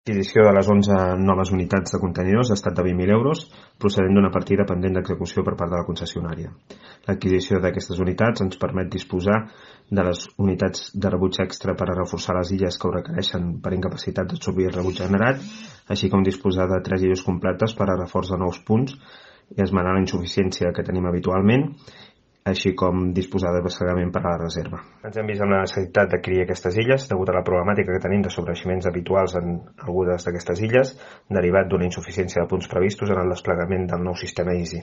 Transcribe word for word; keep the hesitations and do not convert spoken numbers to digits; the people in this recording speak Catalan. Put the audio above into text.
L'adquisició de les onze noves unitats de contenidors ha estat de vint mil euros, procedent d'una partida pendent d'execució per part de la concessionària. L'adquisició d'aquestes unitats ens permet disposar de les unitats de rebuig extra per a reforçar les illes que ho requereixen per incapacitat d'absorbir el rebuig generat, així com disposar de tres illes completes per a reforç de nous punts i esmenar la insuficiència que tenim habitualment, així com disposar de desplegament per a la reserva. Ens hem vist amb la necessitat d'adquirir aquestes illes degut a la problemàtica que tenim de sobreeiximents habituals en algunes d'aquestes illes, derivat d'una insuficiència de punts previstos en el desplegament del nou sistema Easy.